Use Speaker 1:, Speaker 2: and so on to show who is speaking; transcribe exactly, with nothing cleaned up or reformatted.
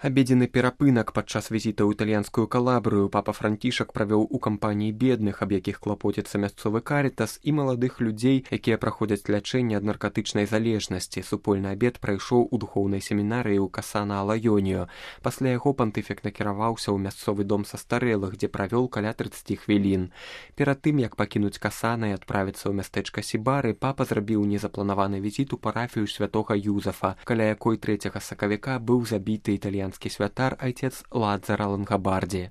Speaker 1: Абедзены перапынак падчас візіта ў італьянскую Калабрыю папа Францішак правёў у кампаніі бедных, аб якіх клапоціцца мясцовы карытас, і маладых людзей, якія праходзяць лячэнне ад наркатычнай залежнасці. Супольны абед прайшоў у духоўнай семінарыі ў Касана Алайоніо. Пасля яго пантыфік накіраваўся ў мясцовы дом састарэлых, дзе правёў каля трыццаці хвілін. Перад тым, як пакінуць Касана і адправіцца ў мястэчка Сібары, папа зрабіў незапланаваны візіт у парафію святога Юзафа, каля якой трэцяга сакавіка быў забіты італьянскі святар айцец Ладзара Лангабарді.